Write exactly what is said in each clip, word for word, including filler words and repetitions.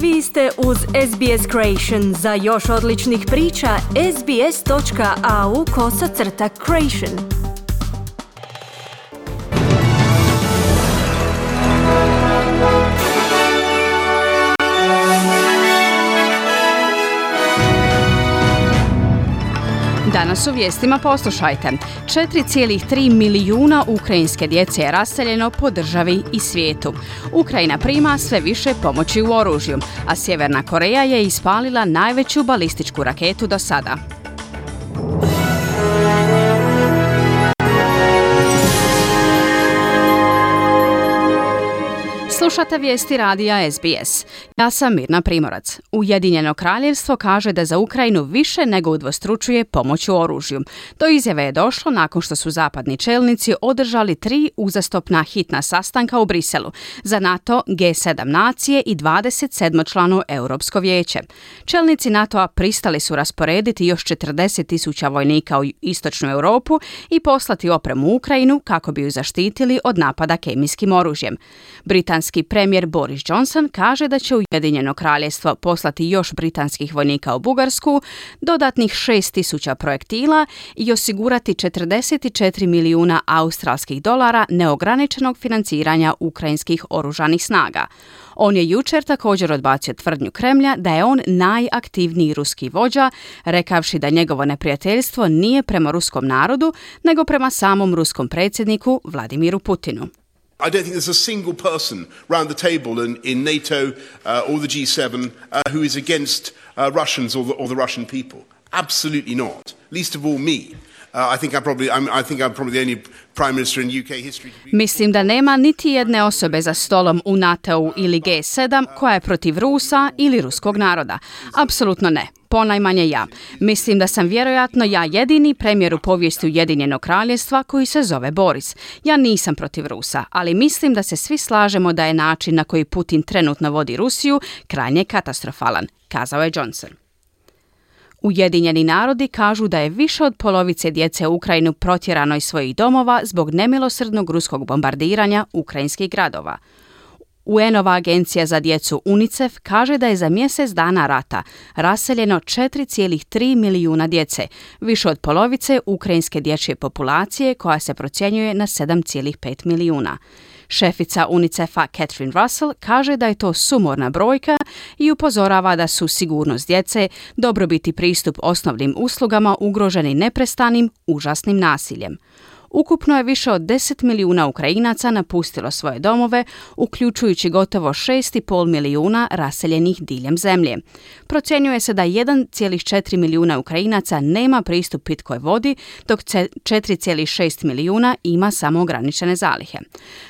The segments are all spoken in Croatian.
Vi ste uz S B S Creation. Za još odličnih priča, sbs.au kosacrta creation. Danas u vijestima poslušajte. četiri zarez tri milijuna ukrajinske djece je raseljeno po državi i svijetu. Ukrajina prima sve više pomoći u oružju, a Sjeverna Koreja je ispalila najveću balističku raketu do sada. Slušate vijesti radija S B S. Ja sam Mirna Primorac. Ujedinjeno kraljevstvo kaže da za Ukrajinu više nego udvostručuje pomoć u oružju. Do izjave je došlo nakon što su zapadni čelnici održali tri uzastopna hitna sastanka u Briselu za NATO, G sedam nacije i dvadeset sedam članov Europsko vijeće. Čelnici NATO-a pristali su rasporediti još četrdeset tisuća vojnika u istočnu Europu i poslati opremu u Ukrajinu kako bi ju zaštitili od napada kemijskim oružjem. Britanski premijer Boris Johnson kaže da će Ujedinjeno kraljevstvo poslati još britanskih vojnika u Bugarsku, dodatnih šest tisuća projektila i osigurati četrdeset četiri milijuna australskih dolara neograničenog financiranja ukrajinskih oružanih snaga. On je jučer također odbacio tvrdnju Kremlja da je on najaktivniji ruski vođa, rekavši da njegovo neprijateljstvo nije prema ruskom narodu, nego prema samom ruskom predsjedniku Vladimiru Putinu. I don't think there's a single person round the table in, in NATO uh, or the G seven uh, who is against uh, Russians or the, or the Russian people. Absolutely not. Least of all me. Uh, I think I'm probably I'm, I think I'm probably the only prime minister in U K history to be... Mislim da nema niti jedne osobe za stolom u NATO ili G sedam koja je protiv Rusa ili ruskog naroda. Apsolutno ne. Ponajmanje ja. Mislim da sam vjerojatno ja jedini premijer u povijesti Ujedinjenog kraljevstva koji se zove Boris. Ja nisam protiv Rusa, ali mislim da se svi slažemo da je način na koji Putin trenutno vodi Rusiju krajnje katastrofalan, kazao je Johnson. Ujedinjeni narodi kažu da je više od polovice djece u Ukrajinu protjerano iz svojih domova zbog nemilosrdnog ruskog bombardiranja ukrajinskih gradova. U N-ova agencija za djecu UNICEF kaže da je za mjesec dana rata raseljeno četiri zarez tri milijuna djece, više od polovice ukrajinske dječje populacije koja se procjenjuje na sedam zarez pet milijuna. Šefica UNICEF-a Catherine Russell kaže da je to sumorna brojka i upozorava da su sigurnost djece, dobrobit i pristup osnovnim uslugama ugroženi neprestanim, užasnim nasiljem. Ukupno je više od deset milijuna Ukrajinaca napustilo svoje domove, uključujući gotovo šest zarez pet milijuna raseljenih diljem zemlje. Procjenjuje se da jedan zarez četiri milijuna Ukrajinaca nema pristup pitkoj vodi, dok četiri zarez šest milijuna ima samo ograničene zalihe.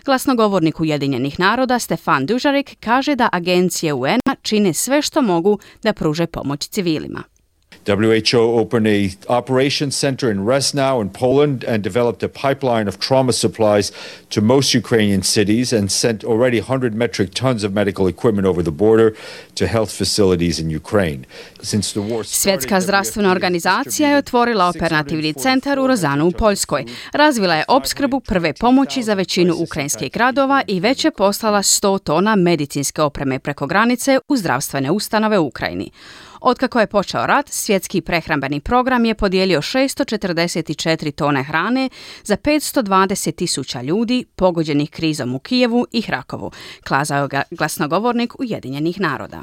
Glasnogovornik Ujedinjenih naroda Stefan Dujarric kaže da agencije U N-a čine sve što mogu da pruže pomoć civilima. W H O opened a operations center in Resnau in Poland and developed a pipeline of trauma supplies to most Ukrainian cities and sent already one hundred metric tons of medical equipment over the border to health facilities in Ukraine. Since the war started, Svjetska zdravstvena organizacija je otvorila operativni centar u Rozanu u Poljskoj. Razvila je opskrbu prve pomoći za većinu ukrajinskih gradova i već je poslala sto tona medicinske opreme preko granice u zdravstvene ustanove u Ukrajini. Otkako je počeo rat, Svjetski prehrambeni program je podijelio šesto četrdeset četiri tone hrane za petsto dvadeset tisuća ljudi pogođenih krizom u Kijevu i Hrakovu, kazao ga glasnogovornik Ujedinjenih naroda.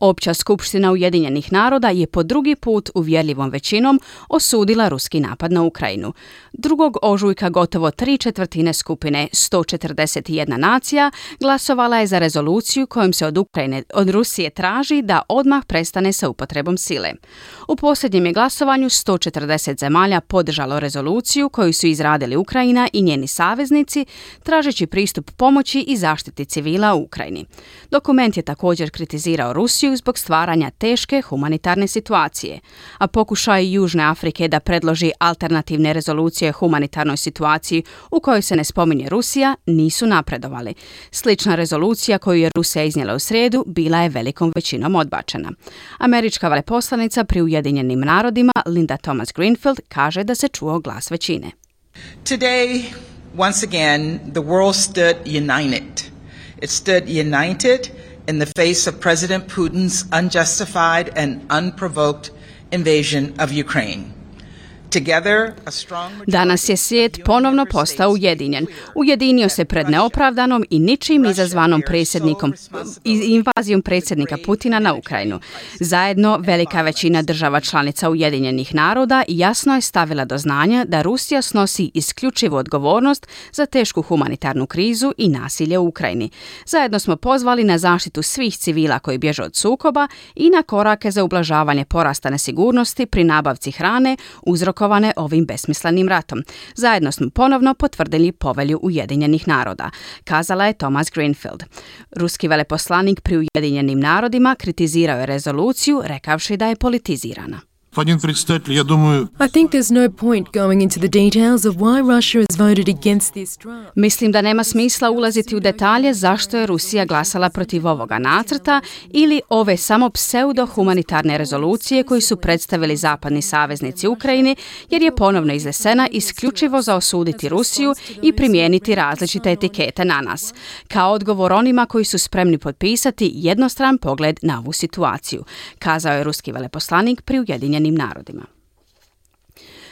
Opća skupština Ujedinjenih naroda je po drugi put uvjerljivom većinom osudila ruski napad na Ukrajinu. Drugog ožujka gotovo tri četvrtine skupine sto četrdeset jedna nacija glasovala je za rezoluciju kojom se od Ukrajine, od Rusije traži da odmah prestane sa upotrebom sile. U posljednjem je glasovanju sto četrdeset zemalja podržalo rezoluciju koju su izradili Ukrajina i njeni saveznici, tražeći pristup pomoći i zaštiti civila u Ukrajini. Dokument je također kritizirao Rusiju zbog stvaranja teške humanitarne situacije, a pokušaj Južne Afrike da predloži alternativne rezolucije humanitarnoj situaciji u kojoj se ne spominje Rusija nisu napredovali. Slična rezolucija koju je Rusija iznijela u srijedu bila je velikom većinom odbačena. Američka veleposlanica pri Ujedinjenim narodima Linda Thomas Greenfield kaže da se čuo glas većine. Today, once again, the world stood united. It stood united in the face of President Putin's unjustified and unprovoked invasion of Ukraine. Danas je svijet ponovno postao ujedinjen. Ujedinio se pred neopravdanom i ničim izazvanom predsjednikom, invazijom predsjednika Putina na Ukrajinu. Zajedno, velika većina država članica Ujedinjenih naroda jasno je stavila do znanja da Rusija snosi isključivu odgovornost za tešku humanitarnu krizu i nasilje u Ukrajini. Zajedno smo pozvali na zaštitu svih civila koji bježe od sukoba i na korake za ublažavanje porasta nesigurnosti pri nabavci hrane uzrokovane ovim besmislenim ratom. Zajedno smo ponovno potvrdili povelju Ujedinjenih naroda, kazala je Thomas Greenfield. Ruski veleposlanik pri Ujedinjenim narodima kritizirao je rezoluciju, rekavši da je politizirana. I think there's no point going into the details of why Russia has voted against this draft. Mislim da nema smisla ulaziti u detalje zašto je Rusija glasala protiv ovoga nacrta ili ove samo pseudo-humanitarne rezolucije koju su predstavili zapadni saveznici Ukrajini, jer je ponovno iznesena isključivo za osuditi Rusiju i primijeniti različite etikete na nas. Kao odgovor onima koji su spremni potpisati jednostran pogled na ovu situaciju, kazao je ruski veleposlanik pri Ujedinjenim narodima.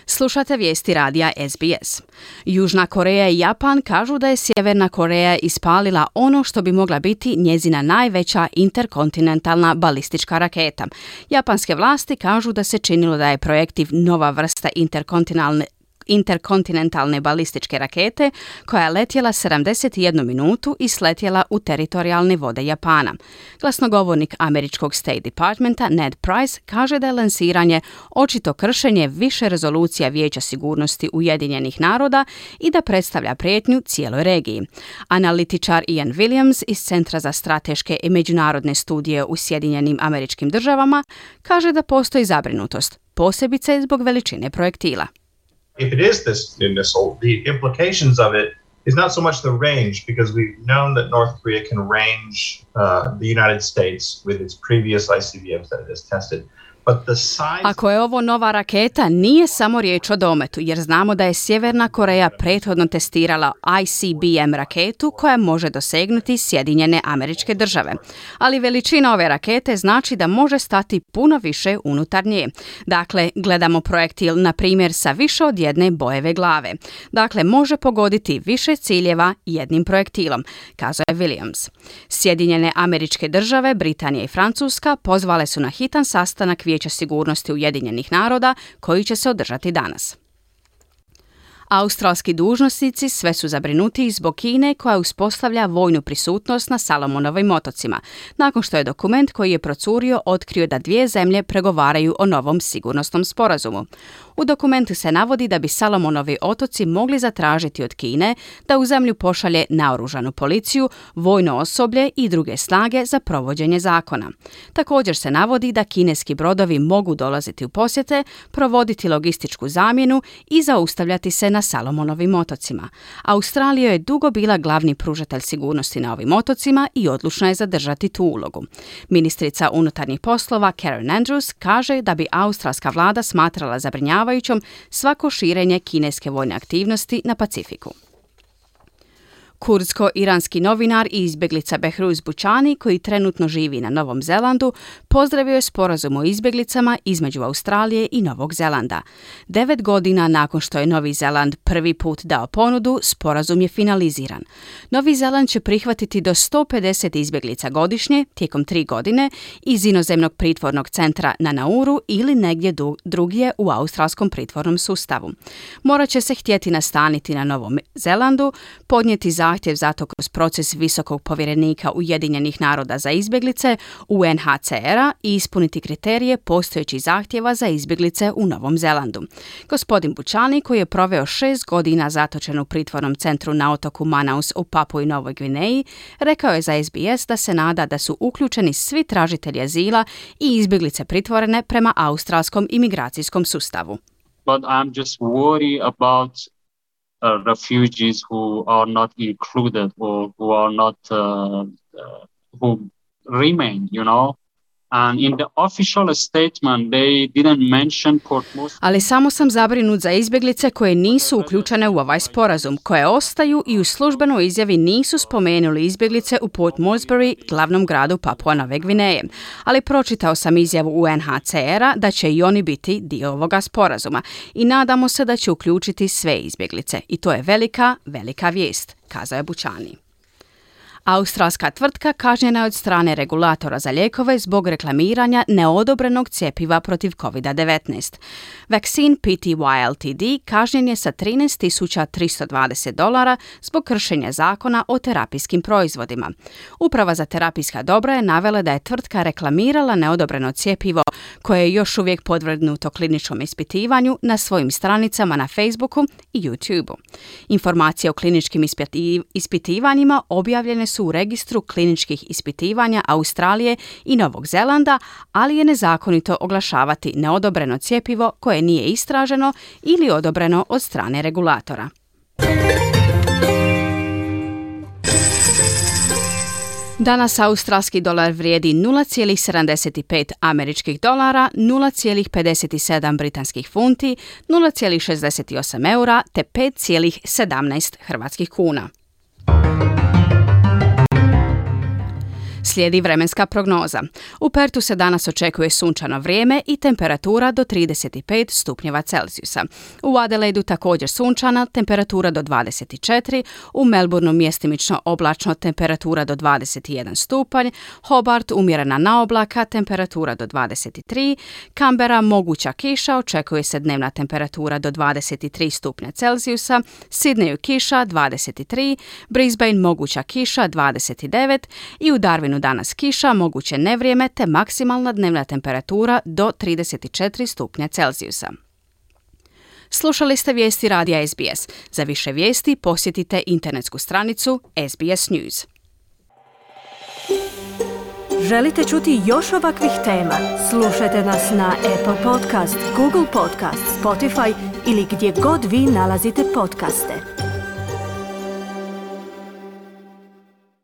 Slušate vijesti radija S B S. Južna Koreja i Japan kažu da je Sjeverna Koreja ispalila ono što bi mogla biti njezina najveća interkontinentalna balistička raketa. Japanske vlasti kažu da se činilo da je projektiv nova vrsta interkontinentalne interkontinentalne balističke rakete koja je letjela sedamdeset jednu minutu i sletjela u teritorijalne vode Japana. Glasnogovornik američkog State Departmenta Ned Price kaže da je lansiranje očito kršenje više rezolucija Vijeća sigurnosti Ujedinjenih naroda i da predstavlja prijetnju cijeloj regiji. Analitičar Ian Williams iz Centra za strateške i međunarodne studije u Sjedinjenim Američkim Državama kaže da postoji zabrinutost, posebice zbog veličine projektila. If it is this new missile, the implications of it is not so much the range, because we've known that North Korea can range uh, the United States with its previous I C B Ms that it has tested. Ako je ovo nova raketa, nije samo riječ o dometu, jer znamo da je Sjeverna Koreja prethodno testirala I C B M raketu koja može dosegnuti Sjedinjene Američke Države. Ali veličina ove rakete znači da može stati puno više unutar nje. Dakle, gledamo projektil, na primjer, sa više od jedne bojeve glave. Dakle, može pogoditi više ciljeva jednim projektilom, kazao je Williams. Sjedinjene Američke Države, Britanija i Francuska pozvale su na hitan sastanak Vijeća sigurnosti Ujedinjenih naroda koji će se održati danas. Australski dužnosnici sve su zabrinutiji zbog Kine koja uspostavlja vojnu prisutnost na Salomonovim otocima, nakon što je dokument koji je procurio otkrio da dvije zemlje pregovaraju o novom sigurnosnom sporazumu. U dokumentu se navodi da bi Salomonovi otoci mogli zatražiti od Kine da u zemlju pošalje naoružanu policiju, vojno osoblje i druge snage za provođenje zakona. Također se navodi da kineski brodovi mogu dolaziti u posjete, provoditi logističku zamjenu i zaustavljati se na Salomonovim otocima. Australija je dugo bila glavni pružatelj sigurnosti na ovim otocima i odlučna je zadržati tu ulogu. Ministrica unutarnjih poslova Karen Andrews kaže da bi australska vlada smatrala zabrinjavajućom svako širenje kineske vojne aktivnosti na Pacifiku. Kurdsko-iranski novinar i izbjeglica Behruz Bučani, koji trenutno živi na Novom Zelandu, pozdravio je sporazum o izbjeglicama između Australije i Novog Zelanda. Devet godina nakon što je Novi Zeland prvi put dao ponudu, sporazum je finaliziran. Novi Zeland će prihvatiti do sto pedeset izbjeglica godišnje tijekom tri godine iz inozemnog pritvornog centra na Nauru ili negdje drugdje u australskom pritvornom sustavu. Morat će se htjeti nastaniti na Novom Zelandu, podnijeti zahtjev za to kroz proces visokog povjerenika Ujedinjenih naroda za izbjeglice U N H C R-a i ispuniti kriterije postojećih zahtjeva za izbjeglice u Novom Zelandu. Gospodin Bučani, koji je proveo šest godina zatočen u pritvornom centru na otoku Manaus u Papui Novoj Gvineji, rekao je za S B S da se nada da su uključeni svi tražitelji azila i izbjeglice pritvorene prema australskom imigracijskom sustavu. But I'm just worried about Uh, refugees who are not included or who are not uh, uh, who remain, you know, And in the official statement, they didn't mention Port Moresby. Ali samo sam zabrinut za izbjeglice koje nisu uključene u ovaj sporazum, koje ostaju i u službenoj izjavi nisu spomenuli izbjeglice u Port Moresby, glavnom gradu Papua Nove Gvineje. Ali pročitao sam izjavu U N H C R-a da će i oni biti dio ovoga sporazuma i nadamo se da će uključiti sve izbjeglice. I to je velika, velika vijest, kazao je Bučani. Australska tvrtka kažnjena je od strane regulatora za lijekove zbog reklamiranja neodobrenog cjepiva protiv covid devetnaest. Vaccine P T Y L T D kažnjen je sa trinaest tisuća tristo dvadeset dolara zbog kršenja zakona o terapijskim proizvodima. Uprava za terapijska dobra je navela da je tvrtka reklamirala neodobreno cjepivo koje je još uvijek podvrgnuto kliničkom ispitivanju na svojim stranicama na Facebooku i YouTubeu. Informacije o kliničkim ispiti- ispitivanjima objavljene su u registru kliničkih ispitivanja Australije i Novog Zelanda, ali je nezakonito oglašavati neodobreno cjepivo koje nije istraženo ili odobreno od strane regulatora. Danas australski dolar vrijedi nula zarez sedamdeset pet američkih dolara, nula zarez pedeset sedam britanskih funti, nula zarez šezdeset osam eura te pet zarez sedamnaest hrvatskih kuna. Slijedi vremenska prognoza. U Pertu se danas očekuje sunčano vrijeme i temperatura do trideset pet stupnjeva Celzijusa. U Adelaidu također sunčana, temperatura do dvadeset četiri, u Melbourneu mjestimično oblačno, temperatura do dvadeset jedan stupanj, Hobart umjerena na oblaka, temperatura do dvadeset tri, Canberra moguća kiša, očekuje se dnevna temperatura do dvadeset tri stupnja Celzijusa, Sydneyu kiša dvadeset tri, Brisbane moguća kiša dvadeset devet i u Darwinu danas kiša, moguće nevrijeme te maksimalna dnevna temperatura do trideset četiri stupnja Celzijusa. Slušali ste vijesti radija S B S. Za više vijesti posjetite internetsku stranicu S B S News. Želite čuti još ovakvih tema? Slušajte nas na Apple Podcast, Google Podcast, Spotify ili gdje god vi nalazite podcaste.